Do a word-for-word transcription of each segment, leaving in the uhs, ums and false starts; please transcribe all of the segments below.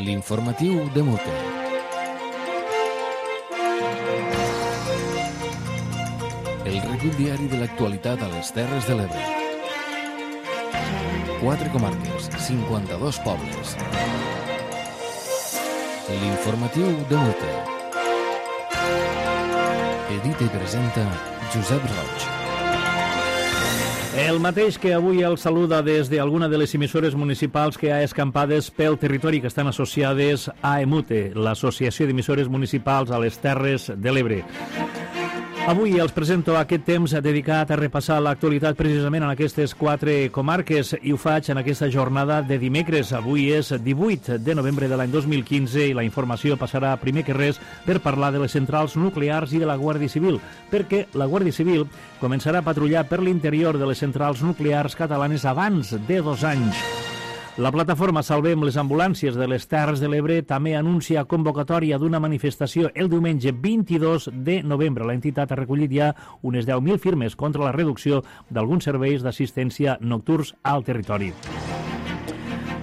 L'informatiu de Mute. El recull diari de l'actualitat a les Terres de l'Ebre. Quatre comarques, cinquanta-dos pobles. L'informatiu de Mute. Edita i presenta Josep Roig. El mateix que avui el saluda des d'alguna de les emissores municipals que ha escampades pel territori que estan associades a EMUTE, l'Associació d'Emissores Municipals a les Terres de l'Ebre. Avui els presento aquest temps dedicat a repassar l'actualitat precisament en aquestes quatre comarques i ho faig en aquesta jornada de dimecres. Avui és divuit de novembre de l'any dos mil quinze i la informació passarà primer que res per parlar de les centrals nuclears i de la Guàrdia Civil, perquè la Guàrdia Civil començarà a patrullar per l'interior de les centrals nuclears catalanes abans de dos anys. La plataforma Salvem les Ambulàncies de les Terres de l'Ebre també anuncia convocatòria d'una manifestació el diumenge vint-i-dos de novembre. L'entitat ha recollit ja unes deu mil firmes contra la reducció d'alguns serveis d'assistència nocturns al territori.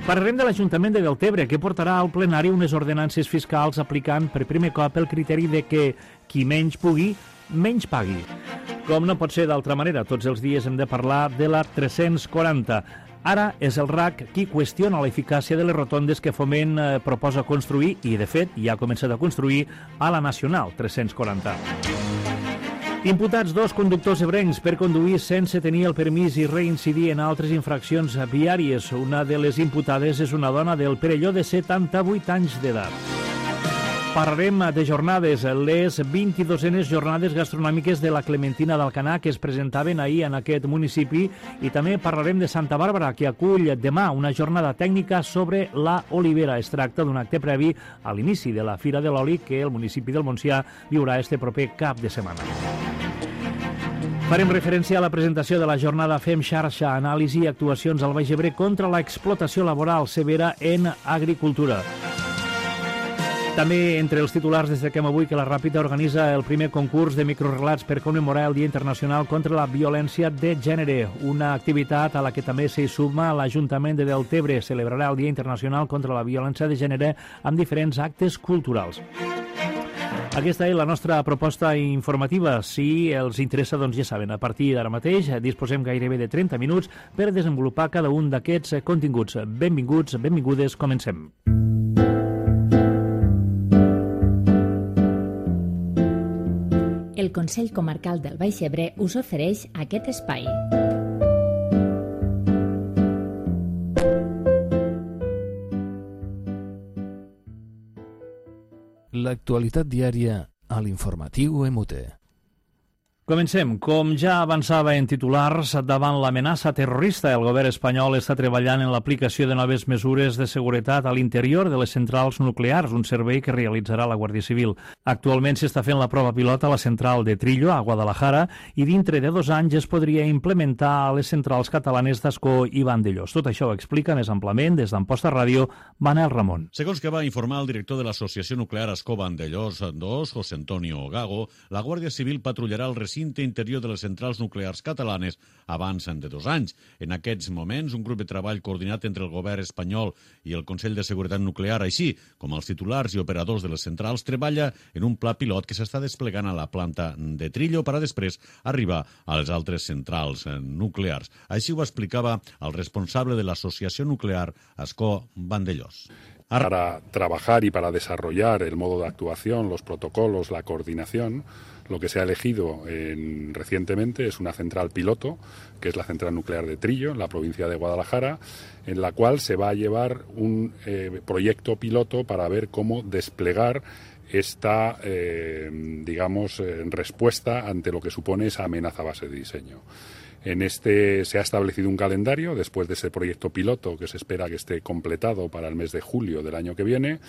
Parlarem de l'Ajuntament de Deltebre, que portarà al plenari unes ordenances fiscals aplicant per primer cop el criteri de que qui menys pugui, menys pagui. Com no pot ser d'altra manera, tots els dies hem de parlar de la tres-cents quaranta. Ara és el R A C qui qüestiona l'eficàcia de les rotondes que Foment eh, proposa construir i, de fet, ja ha començat a construir a la Nacional tres-cents quaranta. Imputats dos conductors ebrencs per conduir sense tenir el permís i reincidir en altres infraccions viàries. Una de les imputades és una dona del Perelló de setanta-vuit anys d'edat. Parlarem de jornades, les vint-i-dosenes jornades gastronòmiques de la Clementina d'Alcanar que es presentaven ahir en aquest municipi, i també parlarem de Santa Bàrbara, que acull demà una jornada tècnica sobre la olivera. Es tracta d'un acte previ a l'inici de la Fira de l'Oli que el municipi del Montsià viurà este proper cap de setmana. Farem referència a la presentació de la jornada Fem Xarxa, anàlisi i actuacions al Baix Ebre contra l'explotació laboral severa en agricultura. També entre els titulars destaquem avui que la Ràpita organitza el primer concurs de microrelats per commemorar el Dia Internacional contra la Violència de Gènere, una activitat a la que també s'hi suma l'Ajuntament de Deltebre. Celebrarà el Dia Internacional contra la Violència de Gènere amb diferents actes culturals. Aquesta és la nostra proposta informativa. Si els interessa, doncs ja saben, a partir d'ara mateix disposem gairebé de trenta minuts per desenvolupar cada un d'aquests continguts. Benvinguts, benvingudes, comencem. El Consell Comarcal del Baix Ebre us ofereix aquest espai. L'actualitat diària a l'informatiu EMUTE. Comencem. Com ja avançava en titulars, davant l'amenaça terrorista, el govern espanyol està treballant en l'aplicació de noves mesures de seguretat a l'interior de les centrals nuclears, un servei que realitzarà la Guàrdia Civil. Actualment s'està fent la prova pilot a la central de Trillo, a Guadalajara, i dintre de dos anys es podria implementar a les centrals catalanes d'Ascó i Vandellós. Tot això ho explica més amplament des d'Amposta Ràdio, Manel Ramon. Segons que va informar el director de l'Associació Nuclear Ascó Vandellós dos, José Antonio Gago, la Guàrdia Civil patrullarà el recinte interior de les centrals nuclears catalanes abans de dos anys. En aquests moments, un grup de treball coordinat entre el govern espanyol i el Consell de Seguretat Nuclear, així com els titulars i operadors de les centrals, treballa en un pla pilot que s'està desplegant a la planta de Trillo per a després arribar a les altres centrals nuclears. Així ho explicava el responsable de l'Associació Nuclear Ascó Vandellós. Para trabajar y para desarrollar el modo de actuación, los protocolos, la coordinación, lo que se ha elegido en, recientemente es una central piloto, que es la central nuclear de Trillo, en la provincia de Guadalajara, en la cual se va a llevar un eh, proyecto piloto para ver cómo desplegar esta, eh, digamos, eh, respuesta ante lo que supone esa amenaza base de diseño. En este se ha establecido un calendario después de ese proyecto piloto que se espera que esté completado para el mes de julio del año que viene.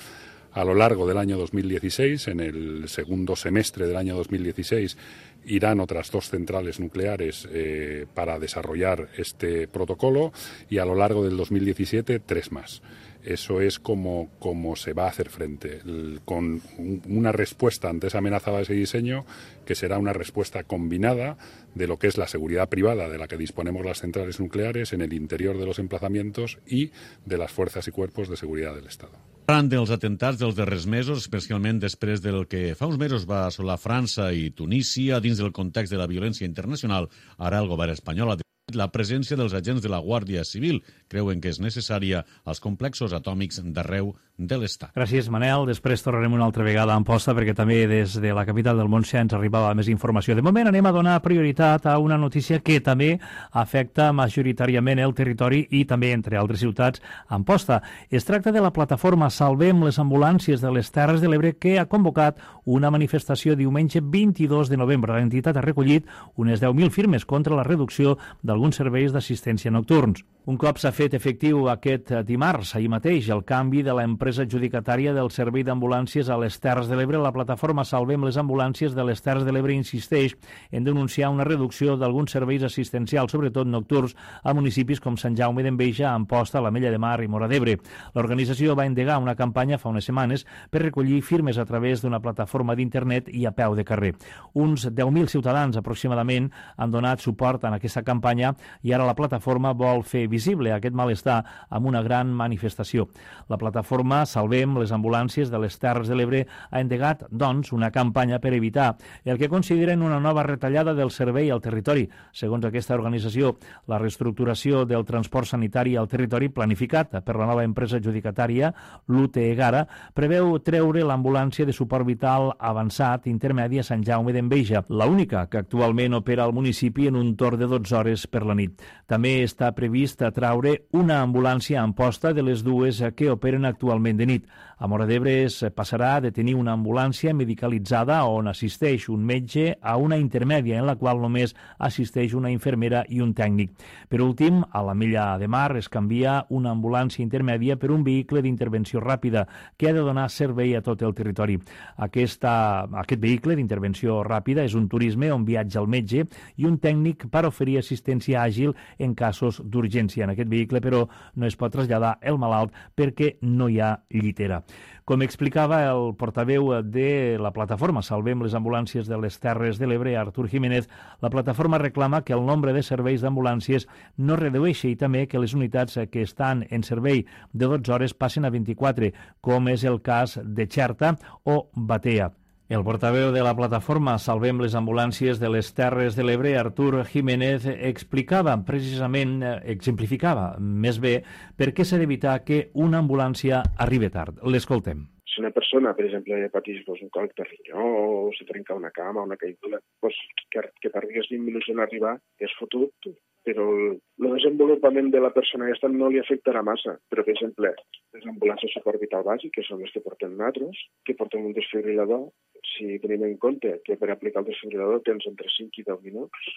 A lo largo del año dos mil dieciséis, en el segundo semestre del año dos mil dieciséis, irán otras dos centrales nucleares eh, para desarrollar este protocolo y a lo largo del dos mil diecisiete tres más. Eso es como, como se va a hacer frente, el, con un, una respuesta ante esa amenaza de ese diseño que será una respuesta combinada de lo que es la seguridad privada de la que disponemos las centrales nucleares en el interior de los emplazamientos y de las fuerzas y cuerpos de seguridad del Estado. Arran dels atentats dels darrers mesos, especialment després del que fa uns mesos va assolar França i Tunísia, dins del context de la violència internacional, ara el govern espanyol ha decidit la presència dels agents de la Guàrdia Civil. Creuen que és necessària als complexos atòmics d'arreu de l'Estat. Gràcies, Manel. Després tornarem una altra vegada a Amposta perquè també des de la capital del Montsià ens arribava més informació. De moment anem a donar prioritat a una notícia que també afecta majoritàriament el territori i també, entre altres ciutats, Amposta. Es tracta de la plataforma Salvem les ambulàncies de les Terres de l'Ebre que ha convocat una manifestació diumenge vint-i-dos de novembre. L'entitat ha recollit unes deu mil firmes contra la reducció d'alguns serveis d'assistència nocturns. Un cop s'ha fet efectiu aquest dimarts, ahir mateix, el canvi de l'empresa adjudicatària del servei d'ambulàncies a les Terres de l'Ebre, la plataforma Salvem les ambulàncies de les Terres de l'Ebre insisteix en denunciar una reducció d'alguns serveis assistencials, sobretot nocturns, a municipis com Sant Jaume d'Enveja, Amposta, l'Ametlla de Mar i Móra d'Ebre. L'organització va endegar una campanya fa unes setmanes per recollir firmes a través d'una plataforma d'internet i a peu de carrer. Uns deu mil ciutadans aproximadament han donat suport en aquesta campanya i ara la plataforma vol fer visible aquest malestar amb una gran manifestació. La plataforma Salvem les ambulàncies de les Terres de l'Ebre ha endegat, doncs, una campanya per evitar el que consideren una nova retallada del servei al territori. Segons aquesta organització, la reestructuració del transport sanitari al territori planificat per la nova empresa adjudicatària, l'U T E Gara, preveu treure l'ambulància de suport vital avançat intermedi a Sant Jaume d'Enveja, l'única que actualment opera al municipi en un torn de dotze hores per la nit. També està previst traure una ambulància a Amposta de les dues que operen actualment de nit. A Móra d'Ebre es passarà de tenir una ambulància medicalitzada on assisteix un metge a una intermèdia en la qual només assisteix una infermera i un tècnic. Per últim, a l'Ametlla de Mar es canvia una ambulància intermèdia per un vehicle d'intervenció ràpida que ha de donar servei a tot el territori. Aquesta, aquest vehicle d'intervenció ràpida és un turisme on viatja el metge i un tècnic per oferir assistència àgil en casos d'urgència. En aquest vehicle, però, no es pot traslladar el malalt perquè no hi ha llitera. Com explicava el portaveu de la plataforma Salvem les ambulàncies de les Terres de l'Ebre, Artur Jiménez, la plataforma reclama que el nombre de serveis d'ambulàncies no redueixi i també que les unitats que estan en servei de dotze hores passen a vint-i-quatre, com és el cas de Xerta o Batea. El portaveu de la plataforma Salvem les ambulàncies de les Terres de l'Ebre, Artur Jiménez, explicava precisament, exemplificava més bé, per què s'ha d'evitar que una ambulància arribi tard. L'escoltem. Si una persona, per exemple, pateix pues, un còlic de rinyó o se trenca una cama, una caiguda, pues, que, que tardis vint minuts en arribar és fotut, però el, el desenvolupament de la persona aquesta no li afectarà massa. Però, per exemple, les ambulàncies de suport vital bàsic, que són les que portem nosaltres, que portem un desfibrilador, si tenim en compte que per aplicar el desfibrilador tens entre cinc i deu minuts,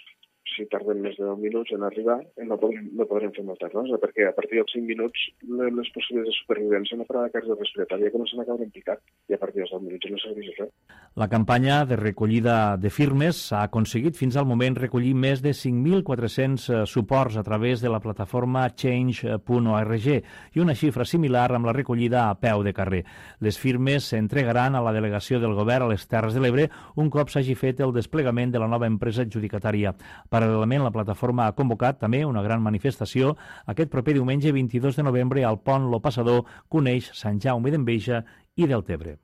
si tarden més de deu minuts en arribar, no podrem, no podrem fer molta cosa, perquè a partir dels cinc minuts les possibilitats de supervivència en una parada cardiorrespiratòria comencen a caure en picat i a partir dels deu minuts no serveix res. La campanya de recollida de firmes ha aconseguit fins al moment recollir més de cinc mil quatre-cents suports a través de la plataforma change punt org i una xifra similar amb la recollida a peu de carrer. Les firmes s'entregaran a la delegació del govern a les Terres de l'Ebre un cop s'hagi fet el desplegament de la nova empresa adjudicatària. Paral·lelament, la plataforma ha convocat també una gran manifestació aquest proper diumenge vint-i-dos de novembre al pont Lo Passador que uneix Sant Jaume d'Enveja i Deltebre.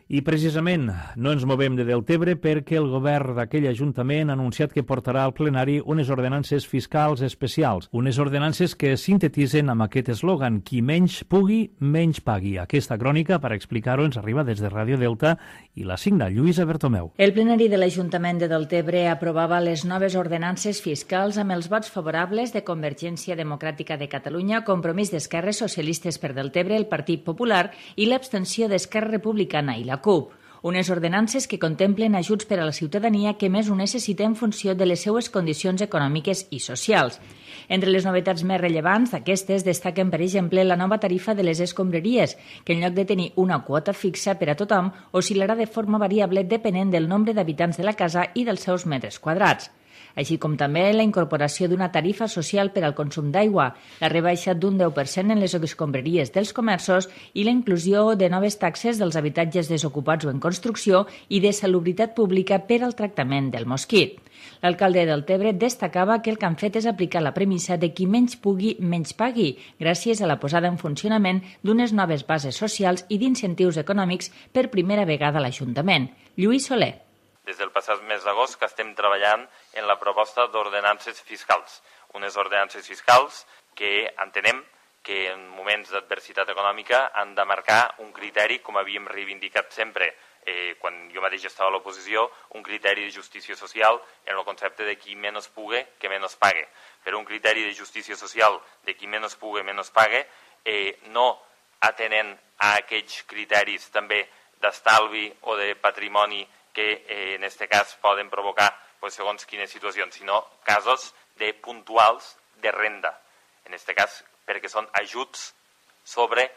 I precisament no ens movem de Deltebre perquè el govern d'aquell ajuntament ha anunciat que portarà al plenari unes ordenances fiscals especials, unes ordenances que sintetitzen amb aquest eslògan: qui menys pugui, menys pagui. Aquesta crònica, per explicar-ho, ens arriba des de Ràdio Delta i la signa Lluïsa Bertomeu. El plenari de l'Ajuntament de Deltebre aprovava les noves ordenances fiscals amb els vots favorables de Convergència Democràtica de Catalunya, Compromís d'Esquerres Socialistes per Deltebre, el Partit Popular i l'abstenció d'Esquerra Republicana i la C U P. Unes ordenances que contemplen ajuts per a la ciutadania que més ho necessita en funció de les seues condicions econòmiques i socials. Entre les novetats més rellevants d'aquestes destaquen, per exemple, la nova tarifa de les escombraries, que en lloc de tenir una quota fixa per a tothom, oscil·larà de forma variable depenent del nombre d'habitants de la casa i dels seus metres quadrats. així com també la incorporació d'una tarifa social per al consum d'aigua, la rebaixa d'un deu per cent en les escombraries dels comerços i la inclusió de noves taxes dels habitatges desocupats o en construcció i de salubritat pública per al tractament del mosquit. L'alcalde del Tebre destacava que el que han fet és aplicar la premissa de qui menys pugui, menys pagui, gràcies a la posada en funcionament d'unes noves bases socials i d'incentius econòmics per primera vegada a l'Ajuntament. Lluís Soler. Des del passat mes d'agost que estem treballant en la proposta d'ordenances fiscals. Unes ordenances fiscals que entenem que en moments d'adversitat econòmica han de marcar un criteri, com havíem reivindicat sempre, eh, quan jo mateix estava a l'oposició, un criteri de justícia social en el concepte de qui menys pugui, que menys pague. Però un criteri de justícia social de qui menys pugui, menys pague, eh, no atenent a aquells criteris també d'estalvi o de patrimoni que eh, en aquest cas poden provocar pues, segons quines situacions, sinó casos de puntuals de renda. En aquest cas, perquè són ajuts sobre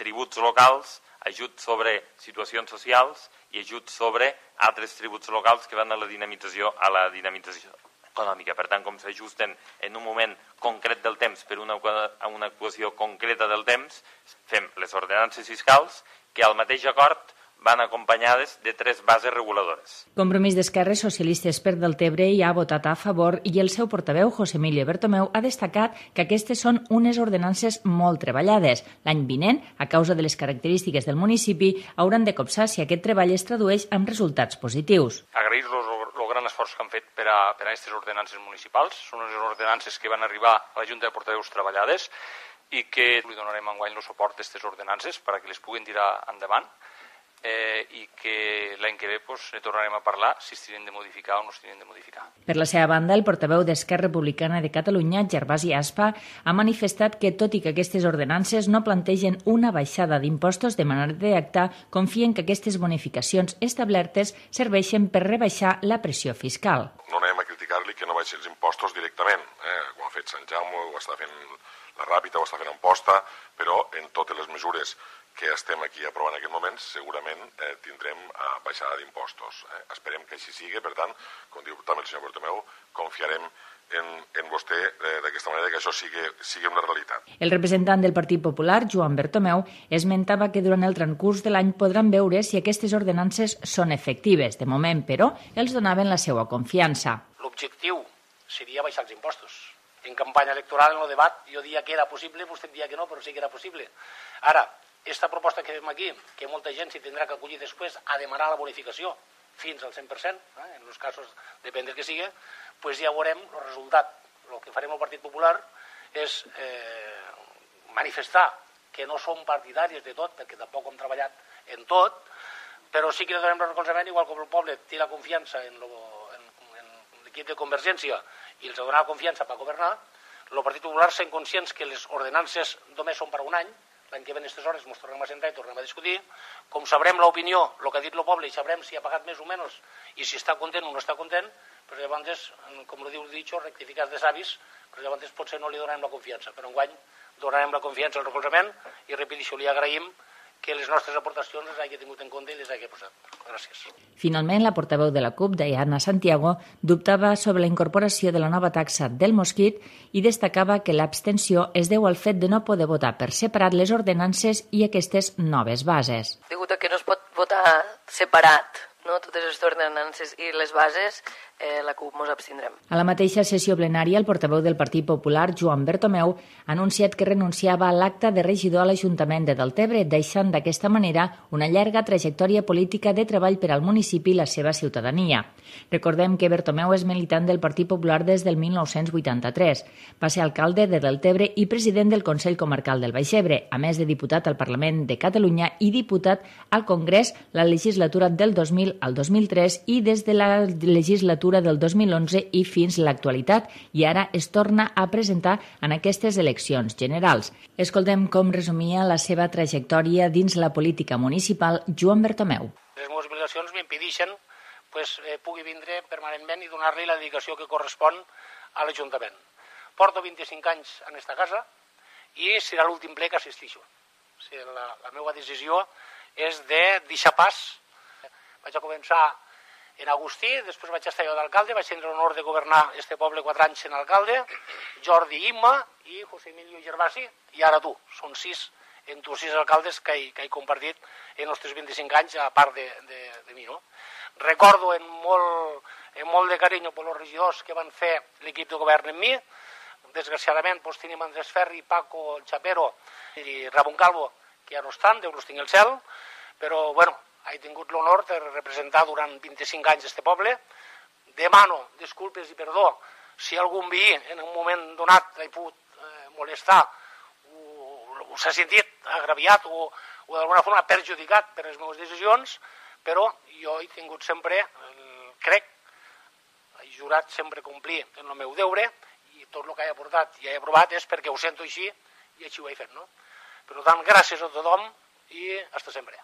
tributs locals, ajuts sobre situacions socials i ajuts sobre altres tributs locals que van a la dinamització, a la dinamització econòmica. Per tant, com s'ajusten en un moment concret del temps per una, una actuació concreta del temps, fem les ordenances fiscals que al mateix acord van acompanyades de tres bases reguladores. Compromís d'Esquerres Socialistes per Deltebre hi ha votat a favor i el seu portaveu, José Emilio Bertomeu, ha destacat que aquestes són unes ordenances molt treballades. L'any vinent, a causa de les característiques del municipi, hauran de copsar si aquest treball es tradueix en resultats positius. Agrair-los el gran esforç que han fet per a, per a aquestes ordenances municipals. Són unes ordenances que van arribar a la Junta de Portaveus treballades i que li donarem enguany el suport a aquestes ordenances perquè les puguin tirar endavant. Eh, i que l'any que ve pues, ne tornarem a parlar si es tenen de modificar o no es tenen de modificar. Per la seva banda, el portaveu d'Esquerra Republicana de Catalunya, Gervasi Aspa, ha manifestat que, tot i que aquestes ordenances no plantegen una baixada d'impostos de manera directa, confien que aquestes bonificacions establertes serveixen per rebaixar la pressió fiscal. No anem a criticar-li que no baixi els impostos directament, eh? Ho ha fet Sant Jaume, ho està fent la Ràpita, ho està fent Amposta, però en totes les mesures que estem aquí aprovant en aquest moment, segurament eh, tindrem eh, baixada d'impostos. Eh? Esperem que així sigui, per tant, com diu també el senyor Bertomeu, confiarem en, en vostè eh, d'aquesta manera que això sigui, sigui una realitat. El representant del Partit Popular, Joan Bertomeu, esmentava que durant el transcurs de l'any podran veure si aquestes ordenances són efectives. De moment, però, els donaven la seva confiança. L'objectiu seria baixar els impostos. En campanya electoral, en el debat, jo dia que era possible, vostè dia que no, però sí que era possible. Ara, aquesta proposta que fem aquí, que molta gent s'hi tindrà que acollir després a demanar la bonificació fins al cent per cent, eh, en els casos depèn del que sigui, pues ja veurem el resultat. El que farem al Partit Popular és eh, manifestar que no som partidaris de tot, perquè tampoc hem treballat en tot, però sí que donem el recolzament, igual com el poble té la confiança en, lo, en, en l'equip de Convergència i els ha donat la confiança per governar, el Partit Popular sent conscients que les ordenances només són per un any, l'any que ve en aquestes hores ens tornem a sentar i tornem a discutir. Com sabrem l'opinió, el que ha dit el poble, i sabrem si ha pagat més o menys i si està content o no està content, però llavors, com ho diu el dicho, rectificats de savis, però llavors potser no li donem la confiança. Però enguany donarem la confiança al recolzament i, repeteixo, li agraïm que les nostres aportacions les hagi tingut en compte i les hagi posat. Gràcies. Finalment, la portaveu de la CUP, Diana Santiago, dubtava sobre la incorporació de la nova taxa del mosquit i destacava que l'abstenció es deu al fet de no poder votar per separat les ordenances i aquestes noves bases. Degut a que no es pot votar separat, no, totes les ordenances i les bases, eh, la CUP mos abstindrem. A la mateixa sessió plenària, el portaveu del Partit Popular, Joan Bertomeu, ha anunciat que renunciava a l'acte de regidor a l'Ajuntament de Deltebre, deixant d'aquesta manera una llarga trajectòria política de treball per al municipi i la seva ciutadania. Recordem que Bertomeu és militant del Partit Popular des del mil nou-cents vuitanta-tres. Va ser alcalde de Deltebre i president del Consell Comarcal del Baix Ebre, a més de diputat al Parlament de Catalunya i diputat al Congrés la legislatura del dos mil al dos mil tres i des de la legislatura del dos mil onze i fins a l'actualitat, i ara es torna a presentar en aquestes eleccions generals. Escoltem com resumia la seva trajectòria dins la política municipal Joan Bertomeu. Les meves obligacions m'impedeixen pues, eh, pugui vindre permanentment i donar-li la dedicació que correspon a l'Ajuntament. Porto vint-i-cinc anys en esta casa i serà l'últim ple que assistixo. O sigui, la, la meva decisió és de deixar pas. Vaig a començar en Agustí, després vaig estar jo d'alcalde, vaig tenir l'honor de governar este poble quatre anys en alcalde, Jordi Imma i José Emilio Gervasi, i ara tu. Són sis, en tu sis alcaldes que he, que he compartit en els tres vint-i-cinc anys, a part de, de, de mi, no? Recordo en molt, en molt de carinyo per els regidors que van fer l'equip de govern en mi. Desgraciadament, doncs, tenim Andrés Ferri, Paco, el Chapero i Ramon Calvo, que ja no estan, Déu los tingui al cel, però, bueno, he tingut l'honor de representar durant vint-i-cinc anys este poble. Demano disculpes i perdó si algun veí en un moment donat l'he pogut eh, molestar o, o s'ha sentit agraviat o, o d'alguna forma perjudicat per les meves decisions, però jo he tingut sempre, eh, crec, he jurat sempre complir en el meu deure i tot el que he aportat i he aprovat és perquè ho sento així i així ho he fet, no? Per tant, gràcies a tothom i hasta sempre.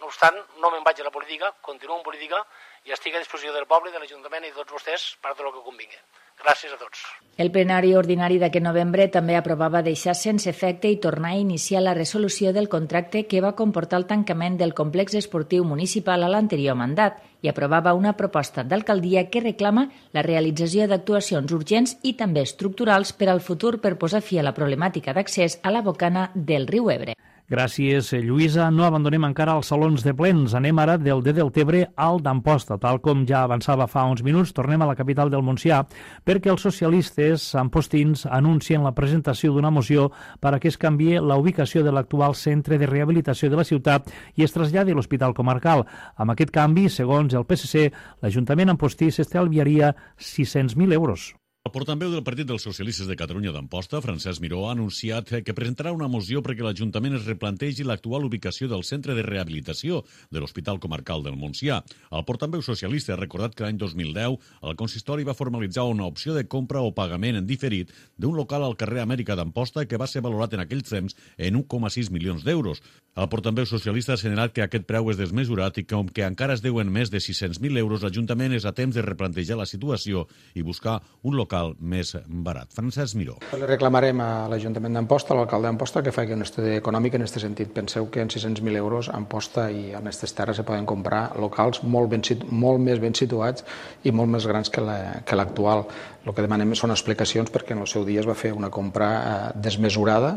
No obstant, no me'n vaig a la política, continuo en política i estic a disposició del poble, de l'Ajuntament i de tots vostès per tot el que convingui. Gràcies a tots. El plenari ordinari d'aquest novembre també aprovava deixar sense efecte i tornar a iniciar la resolució del contracte que va comportar el tancament del complex esportiu municipal a l'anterior mandat i aprovava una proposta d'alcaldia que reclama la realització d'actuacions urgents i també estructurals per al futur per posar fi a la problemàtica d'accés a la bocana del riu Ebre. Gràcies, Lluïsa. No abandonem encara els salons de plens. Anem ara del de Deltebre al d'Amposta. Tal com ja avançava fa uns minuts, tornem a la capital del Montsià perquè els socialistes ampostins anuncien la presentació d'una moció per a que es canvie la ubicació de l'actual centre de rehabilitació de la ciutat i es traslladi a l'Hospital Comarcal. Amb aquest canvi, segons el P S C, l'Ajuntament ampostí s'estalviaria sis-cents mil euros. El portaveu del Partit dels Socialistes de Catalunya d'Amposta, Francesc Miró, ha anunciat que presentarà una moció perquè l'Ajuntament es replantegi l'actual ubicació del centre de rehabilitació de l'Hospital Comarcal del Montsià. El portaveu socialista ha recordat que l'any dos mil deu el consistori va formalitzar una opció de compra o pagament en diferit d'un local al carrer Amèrica d'Amposta que va ser valorat en aquells temps en un coma sis milions d'euros. El portaveu socialista ha assenyalat que aquest preu és desmesurat i que, com que encara es deuen més de sis-cents mil euros, l'Ajuntament és a temps de replantejar la situació i buscar un local més barat. Francesc Miró. Le reclamarem a l'Ajuntament d'Amposta, a l'alcalde d'Amposta, que faci un estudi econòmic en aquest sentit. Penseu que en sis-cents mil euros a Amposta i en aquestes terres se poden comprar locals molt, ben, molt més ben situats i molt més grans que l'actual. El que demanem són explicacions perquè en el seu dia es va fer una compra eh, desmesurada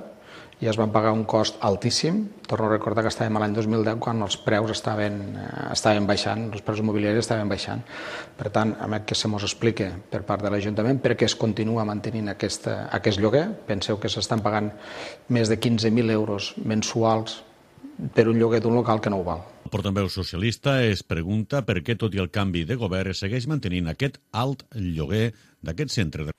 i es van pagar un cost altíssim. Torno a recordar que estàvem a l'any dos mil deu quan els preus estaven, estaven baixant, els preus immobiliaris estaven baixant. Per tant, a més que se mos explique per part de l'Ajuntament perquè es continua mantenint aquesta, aquest lloguer. Penseu que s'estan pagant més de quinze mil euros mensuals per un lloguer d'un local que no ho val. El portaveu socialista es pregunta per què, tot i el canvi de govern, es segueix mantenint aquest alt lloguer d'aquest centre de...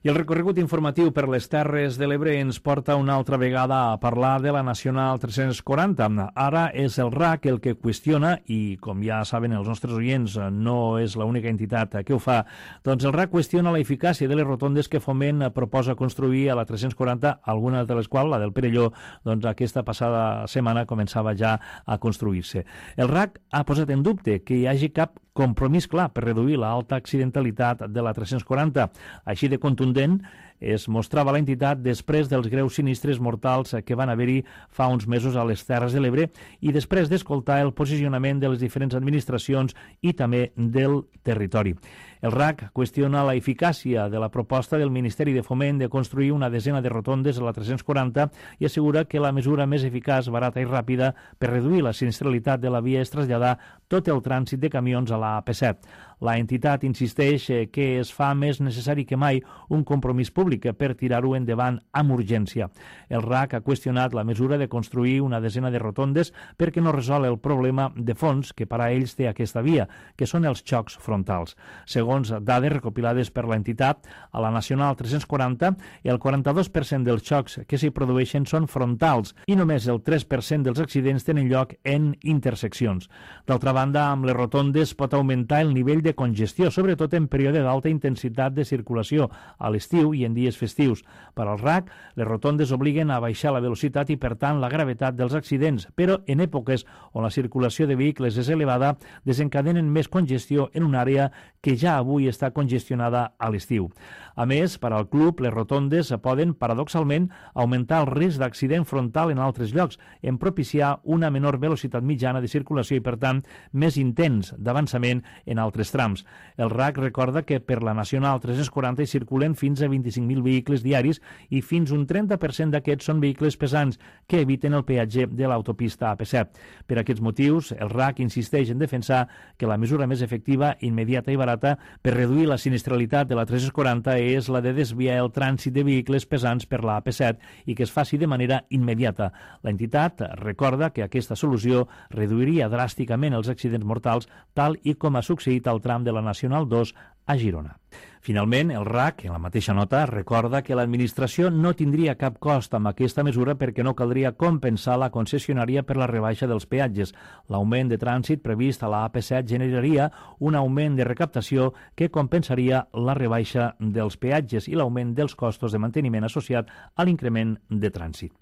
I el recorregut informatiu per les Terres de l'Ebre ens porta una altra vegada a parlar de la Nacional tres-cents quaranta. Ara és el R A C el que qüestiona, i com ja saben els nostres oients, no és l'única entitat que ho fa, doncs el R A C qüestiona la eficàcia de les rotondes que Foment proposa construir a la tres-cents quaranta, alguna de les quals, la del Perelló, doncs aquesta passada setmana començava ja a construir-se. El R A C ha posat en dubte que hi hagi cap compromís clar per reduir l'alta accidentalitat de la tres-cents quaranta. Així de contundent es mostrava l'entitat després dels greus sinistres mortals que van haver-hi fa uns mesos a les Terres de l'Ebre i després d'escoltar el posicionament de les diferents administracions i també del territori. El R A C qüestiona la eficàcia de la proposta del Ministeri de Foment de construir una desena de rotondes a la tres-cents quaranta i assegura que la mesura més eficaç, barata i ràpida per reduir la sinistralitat de la via és traslladar tot el trànsit de camions a la A P set. La entitat insisteix que es fa més necessari que mai un compromís públic per tirar-ho endavant amb urgència. El R A C ha qüestionat la mesura de construir una desena de rotondes perquè no resol el problema de fons que per a ells té aquesta via, que són els xocs frontals. Segons dades recopilades per l'entitat, a la Nacional tres-cents quaranta, el quaranta-dos per cent dels xocs que s'hi produeixen són frontals i només el tres per cent dels accidents tenen lloc en interseccions. D'altra banda, amb les rotondes pot augmentar el nivell de congestió, sobretot en període d'alta intensitat de circulació, a l'estiu i en dies festius. Per al R A C, les rotondes obliguen a baixar la velocitat i, per tant, la gravetat dels accidents, però en èpoques on la circulació de vehicles és elevada, desencadenen més congestió en una àrea que ja avui està congestionada a l'estiu. A més, per al club, les rotondes poden, paradoxalment, augmentar el risc d'accident frontal en altres llocs, en propiciar una menor velocitat mitjana de circulació i, per tant, més intens d'avançament en altres trams. El R A C recorda que per la Nacional tres-cents quaranta hi circulen fins a vint-i-cinc mil vehicles diaris i fins un trenta per cent d'aquests són vehicles pesants que eviten el peatge de l'autopista A P set. Per aquests motius, el R A C insisteix en defensar que la mesura més efectiva, immediata i barata per reduir la sinistralitat de la tres-cents quaranta és la de desviar el trànsit de vehicles pesants per la A P set i que es faci de manera immediata. L'entitat recorda que aquesta solució reduiria dràsticament els accidents mortals, tal i com ha succeït al tram de la Nacional dos a Girona. Finalment, el R A C, en la mateixa nota, recorda que l'administració no tindria cap cost amb aquesta mesura perquè no caldria compensar la concessionària per la rebaixa dels peatges. L'augment de trànsit previst a la A P set generaria un augment de recaptació que compensaria la rebaixa dels peatges i l'augment dels costos de manteniment associat a l'increment de trànsit.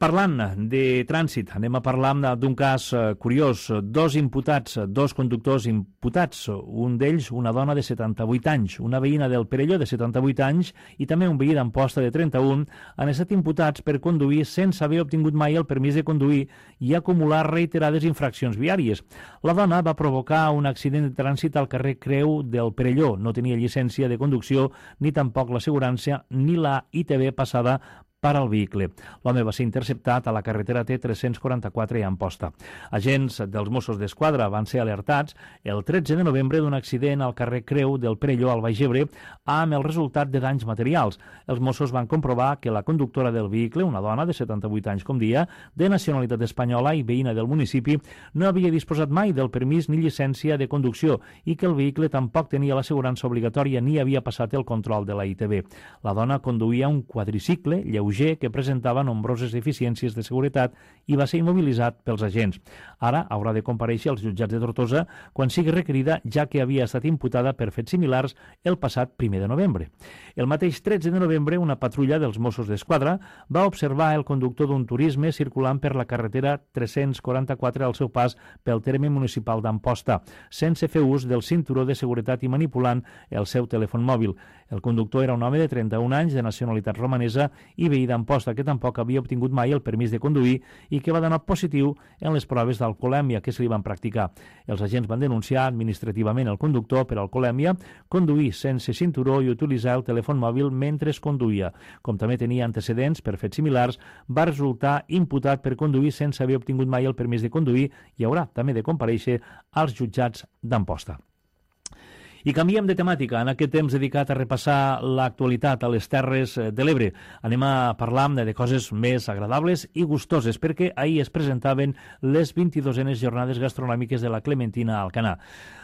Parlant de trànsit, anem a parlar d'un cas curiós. Dos imputats, dos conductors imputats, un d'ells una dona de setanta-vuit anys, una veïna del Perelló de setanta-vuit anys i també un veí d'Amposta de trenta-un, han estat imputats per conduir sense haver obtingut mai el permís de conduir i acumular reiterades infraccions viàries. La dona va provocar un accident de trànsit al carrer Creu del Perelló. No tenia llicència de conducció ni tampoc l'assegurança ni la I T V passada per al vehicle. L'home va ser interceptat a la carretera T tres-cents quaranta-quatre a Amposta. Agents dels Mossos d'Esquadra van ser alertats el tretze de novembre d'un accident al carrer Creu del Perelló al Baix Ebre amb el resultat de danys materials. Els Mossos van comprovar que la conductora del vehicle, una dona de setanta-vuit anys com dia, de nacionalitat espanyola i veïna del municipi, no havia disposat mai del permís ni llicència de conducció i que el vehicle tampoc tenia l'assegurança obligatòria ni havia passat el control de la I T V. La dona conduïa un quadricicle lleuger que presentava nombroses deficiències de seguretat i va ser immobilitzat pels agents. Ara haurà de comparèixer als jutjats de Tortosa quan sigui requerida, ja que havia estat imputada per fets similars el passat primer de novembre. El mateix tretze de novembre, una patrulla dels Mossos d'Esquadra va observar el conductor d'un turisme circulant per la carretera tres-cents quaranta-quatre al seu pas pel terme municipal d'Amposta, sense fer ús del cinturó de seguretat i manipulant el seu telèfon mòbil. El conductor era un home de trenta-un anys de nacionalitat romanesa i veí d'Amposta que tampoc havia obtingut mai el permís de conduir i que va donar positiu en les proves d'alcoholèmia que se li van practicar. Els agents van denunciar administrativament el conductor per alcoholèmia, conduir sense cinturó i utilitzar el telèfon mòbil mentre es conduïa. Com també tenia antecedents per fets similars, va resultar imputat per conduir sense haver obtingut mai el permís de conduir i haurà també de comparèixer als jutjats d'Amposta. I canviem de temàtica en aquest temps dedicat a repassar l'actualitat a les Terres de l'Ebre. Anem a parlar de coses més agradables i gustoses, perquè ahir es presentaven les vint-i-dosenes jornades gastronòmiques de la Clementina a Alcanar.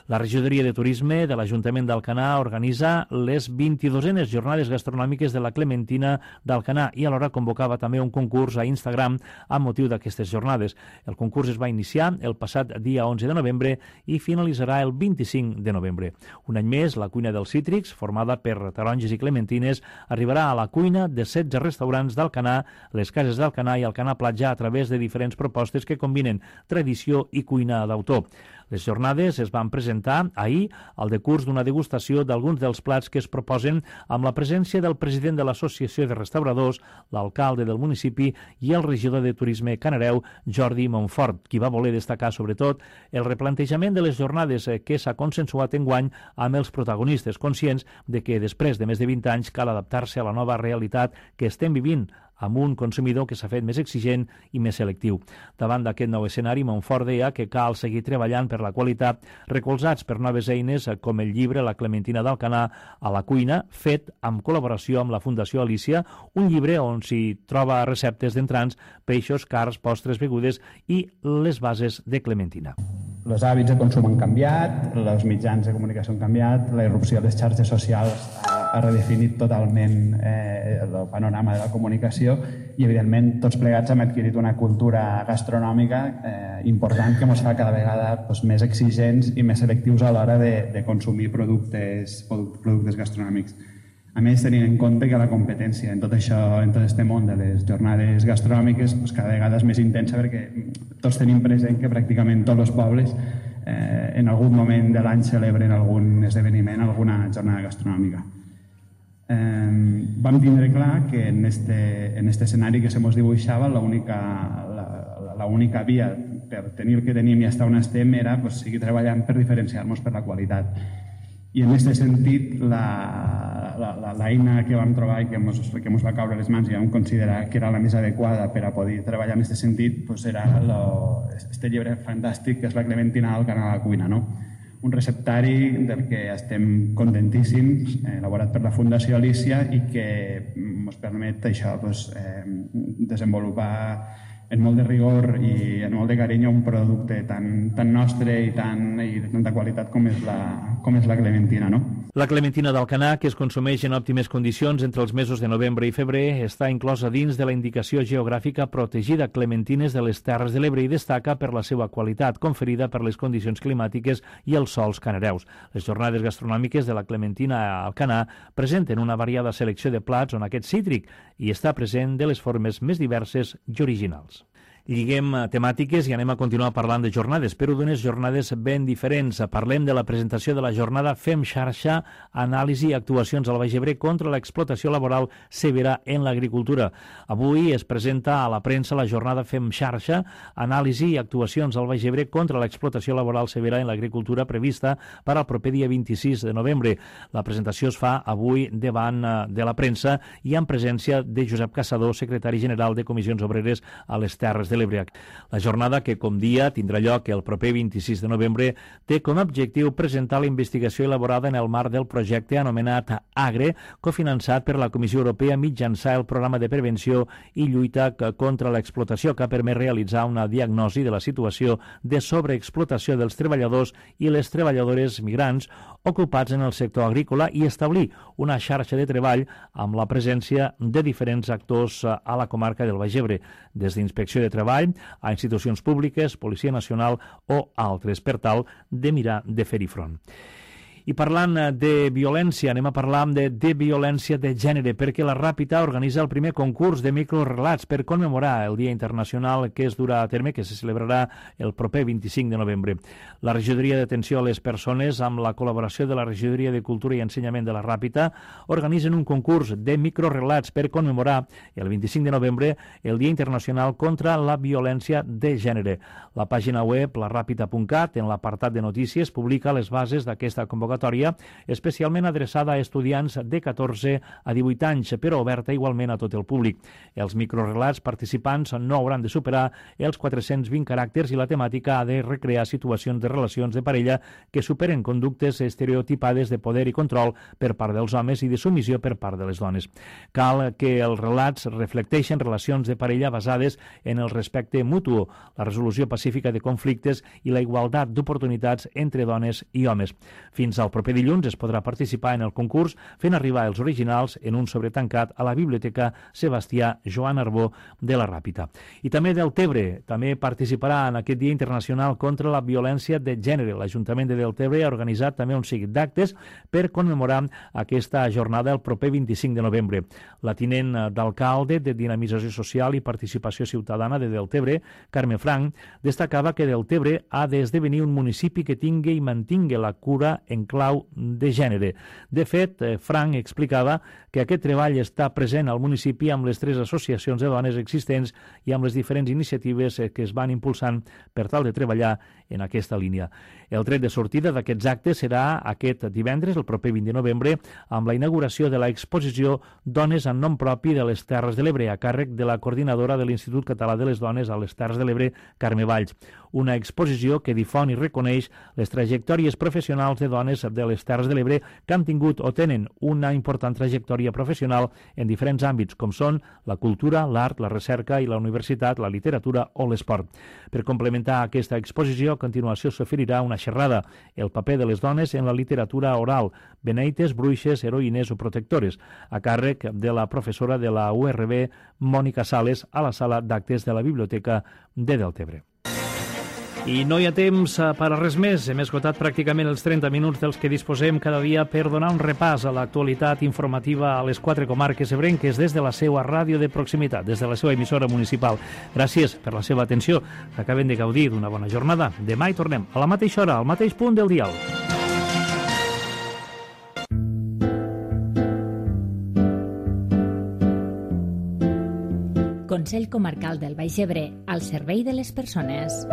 La regidoria de turisme de l'Ajuntament d'Alcanar organitza les vint-i-dosenes jornades gastronòmiques de la Clementina d'Alcanar i alhora convocava també un concurs a Instagram amb motiu d'aquestes jornades. El concurs es va iniciar el passat dia onze de novembre i finalitzarà el vint-i-cinc de novembre. Un any més, la cuina dels cítrics, formada per taronges i clementines, arribarà a la cuina de setze restaurants d'Alcanar, les cases d'Alcanar i Alcanar Platja a través de diferents propostes que combinen tradició i cuina d'autor. Les jornades es van presentar ahir al decurs d'una degustació d'alguns dels plats que es proposen amb la presència del president de l'Associació de Restauradors, l'alcalde del municipi i el regidor de Turisme Canareu, Jordi Montfort, qui va voler destacar sobretot el replantejament de les jornades que s'ha consensuat enguany amb els protagonistes, conscients de que després de més de vint anys cal adaptar-se a la nova realitat que estem vivint amb un consumidor que s'ha fet més exigent i més selectiu. Davant d'aquest nou escenari, Montfort deia que cal seguir treballant per la qualitat, recolzats per noves eines com el llibre La Clementina d'Alcanar a la cuina, fet amb col·laboració amb la Fundació Alícia, un llibre on s'hi troba receptes d'entrants, peixos, carns, postres, begudes i les bases de clementina. Els hàbits de consum han canviat, els mitjans de comunicació han canviat, la irrupció de les xarxes socials ha ha redefinit totalment eh, el panorama de la comunicació i, evidentment, tots plegats hem adquirit una cultura gastronòmica eh, important que ens fa cada vegada doncs, més exigents i més selectius a l'hora de, de consumir productes, productes gastronòmics. A més, tenint en compte que la competència en tot això, en tot aquest món de les jornades gastronòmiques, doncs cada vegada és més intensa perquè tots tenim present que pràcticament tots els pobles eh, en algun moment de l'any celebren algun esdeveniment, alguna jornada gastronòmica. Eh, vam tindre clar que en este, en este escenari que se mos dibuixava l'única la, la única via per tenir el que tenim i estar on estem era pues, seguir treballant per diferenciar-nos per la qualitat. I en aquest sentit, l'eina que vam trobar i que ens que va caure a les mans i vam considerar que era la més adequada per a poder treballar en aquest sentit pues era este llibre fantàstic que és La Clementina del Canà a la cuina. No? Un receptari del que estem contentíssims, eh, elaborat per la Fundació Alícia i que ens permet això, pues, eh, desenvolupar en molt de rigor i en molt de carinyo un producte tan, tan nostre i, tan, i de tanta qualitat com és la, com és la clementina, no? La clementina d'Alcanar, que es consumeix en òptimes condicions entre els mesos de novembre i febrer, està inclosa dins de la indicació geogràfica protegida Clementines de les Terres de l'Ebre i destaca per la seva qualitat, conferida per les condicions climàtiques i els sols canareus. Les jornades gastronòmiques de la clementina a Alcanar presenten una variada selecció de plats on aquest cítric hi està present de les formes més diverses i originals. Lliguem temàtiques i anem a continuar parlant de jornades, però d'unes jornades ben diferents. Parlem de la presentació de la jornada Fem Xarxa, anàlisi i actuacions al Baix Ebre contra l'explotació laboral severa en l'agricultura. Avui es presenta a la premsa la jornada Fem Xarxa, anàlisi i actuacions al Baix Ebre contra l'explotació laboral severa en l'agricultura prevista per al proper dia vint-i-sis de novembre. La presentació es fa avui davant de la premsa i en presència de Josep Caçador, secretari general de Comissions Obreres a les Terres de l'Ebre. La jornada, que com dia tindrà lloc el proper vint-i-sis de novembre, té com a objectiu presentar la investigació elaborada en el marc del projecte anomenat AGRE, cofinançat per la Comissió Europea mitjançant el programa de prevenció i lluita contra l'explotació, que ha permès realitzar una diagnosi de la situació de sobreexplotació dels treballadors i les treballadores migrants ocupats en el sector agrícola i establir una xarxa de treball amb la presència de diferents actors a la comarca del Baix Ebre, des d'Inspecció de Treball a institucions públiques, Policia Nacional o altres, per tal de mirar de fer-hi front. I parlant de violència, anem a parlar de, de violència de gènere, perquè la Ràpita organitza el primer concurs de microrelats per commemorar el Dia Internacional que es durà a terme, que se celebrarà el proper vint-i-cinc de novembre. La Regidoria d'Atenció a les Persones, amb la col·laboració de la Regidoria de Cultura i Ensenyament de la Ràpita, organitzen un concurs de microrelats per commemorar el vint-i-cinc de novembre el Dia Internacional contra la Violència de Gènere. La pàgina web, la ràpita punt cat, en l'apartat de notícies, publica les bases d'aquesta convocatòria, especialment adreçada a estudiants de catorze a divuit anys, però oberta igualment a tot el públic. Els microrelats participants no hauran de superar els quatre-cents vint caràcters i la temàtica ha de recrear situacions de relacions de parella que superen conductes estereotipades de poder i control per part dels homes i de submissió per part de les dones. Cal que els relats reflecteixen relacions de parella basades en el respecte mutu, la resolució pacífica de conflictes i la igualtat d'oportunitats entre dones i homes. Fins al proper dilluns es podrà participar en el concurs fent arribar els originals en un sobretancat a la Biblioteca Sebastià Joan Arbó de la Ràpita. I també Deltebre també participarà en aquest Dia Internacional contra la Violència de Gènere. L'Ajuntament de Deltebre ha organitzat també un seguit d'actes per commemorar aquesta jornada el proper vint-i-cinc de novembre. La tinent d'alcalde de Dinamització Social i Participació Ciutadana de Deltebre, Carme Frank, destacava que Deltebre ha d'esdevenir un municipi que tingui i mantingui la cura en clau de gènere. De fet, Frank explicava que aquest treball està present al municipi amb les tres associacions de dones existents i amb les diferents iniciatives que es van impulsant per tal de treballar en aquesta línia. El tret de sortida d'aquests actes serà aquest divendres, el proper vint de novembre, amb la inauguració de l'exposició Dones en nom propi de les Terres de l'Ebre, a càrrec de la coordinadora de l'Institut Català de les Dones a les Terres de l'Ebre, Carme Valls. Una exposició que difon i reconeix les trajectòries professionals de dones de les Terres de l'Ebre que han tingut o tenen una important trajectòria trajectòria professional en diferents àmbits, com són la cultura, l'art, la recerca i la universitat, la literatura o l'esport. Per complementar aquesta exposició, a continuació s'oferirà una xerrada, el paper de les dones en la literatura oral, beneites, bruixes, heroïnes o protectores, a càrrec de la professora de la U R B, Mònica Sales, a la sala d'actes de la Biblioteca de Deltebre. I no hi ha temps per a res més. Hem esgotat pràcticament els trenta minuts dels que disposem cada dia per donar un repàs a l'actualitat informativa a les quatre comarques ebrenques des de la seva ràdio de proximitat, des de la seva emissora municipal. Gràcies per la seva atenció. Acaben de gaudir d'una bona jornada. Demà hi tornem a la mateixa hora, al mateix punt del dial. Consell Comarcal del Baix Ebre, al servei de les persones.